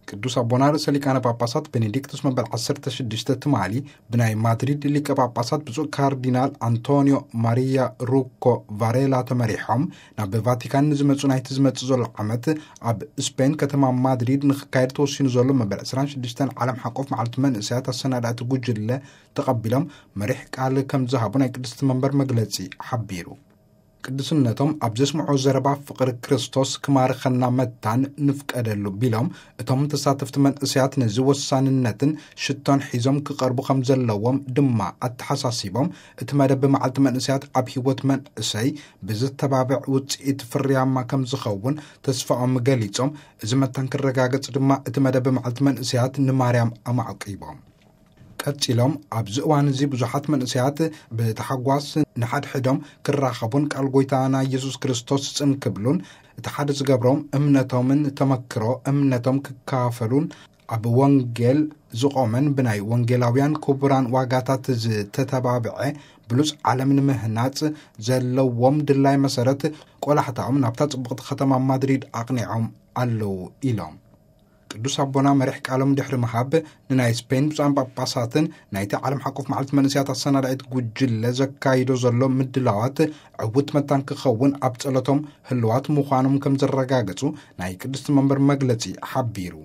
ቅዱስ ኣቦና ርእሰ ሊቃነ ጳጳሳት ቤኔዲክቱስ መበል ዓሰርተ ሽዱሽተ ትማሊ ብናይ ማድሪድ ሊቀ ጳጳሳት ብፁዕ ካርዲናል ኣንቶኒዮ ማሪያ ሩኮ ቫሬላ ተመሪሖም ናብ ቫቲካን ንዝመፁ፣ ናይቲ ዝመፅእ ዘሎ ዓመት ኣብ ስፔን ከተማ ማድሪድ ንክካየድ ተወሲኑ ዘሎ መበል ዕስራን ሽዱሽተን ዓለም ሓቆፍ መዓልቲ መንእሰያት ኣሰናዳእቲ ጉጅለ ተቐቢሎም መሪሕ ቃል ከም ዝሃቡ ናይ ቅድስቲ መንበር መግለጺ ሓቢሩ። ቅዱስነቶም ኣብ ዘስምዖ ዘረባ፣ ፍቕሪ ክርስቶስ ክማርኸና መታን ንፍቀደሉ ቢሎም፣ እቶም ተሳተፍቲ መንእሰያት ነዚ ወሳንነትን ሽቶን ሒዞም ክቐርቡ ከም ዘለዎም ድማ ኣተሓሳሲቦም፣ እቲ መደብ መዓልቲ መንእሰያት ኣብ ህይወት መንእሰይ ብዝተባብዕ ውፅኢት ፍርያማ ከም ዝኸውን ተስፋኦም ገሊጾም፣ እዚ መታን ክረጋገጽ ድማ እቲ መደብ መዓልቲ መንእሰያት ንማርያም ኣማዕቂቦም። ቀጺሎም፣ ኣብዚ እዋን እዚ ብዙሓት መንእሰያት ብተሓጓስ ንሓድሕዶም ክራኸቡን ቃል ጎይታና ኢየሱስ ክርስቶስ ጽን ክብሉን፣ እቲ ሓደ ዝገብሮም እምነቶምን ተመክሮ እምነቶም ክካፈሉን፣ ኣብ ወንጌል ዝቖመን ብናይ ወንጌላውያን ክቡራን ዋጋታት ዝተተባብዐ ብሉጽ ዓለም ንምህናጽ ዘለዎም ድላይ መሰረት ቆላሕታኦም ናብታ ጽቡቕቲ ከተማ ማድሪድ ኣቕኒዖም ኣለዉ ኢሎም። ቅዱስ ኣቦና መሪሕ ቃሎም ድሕሪ ምሃብ፣ ንናይ ስፔን ብፁዓን ጳጳሳትን ናይቲ ዓለም ሓቆፍ መዓልቲ መንእሰያት ኣሰናዳኢት ጉጅለ ዘካይዶ ዘሎ ምድላዋት ዕውት መታን ክኸውን ኣብ ጸሎቶም ህልዋት ምዃኖም ከም ዘረጋገጹ ናይ ቅድስቲ መንበር መግለጺ ሓቢሩ።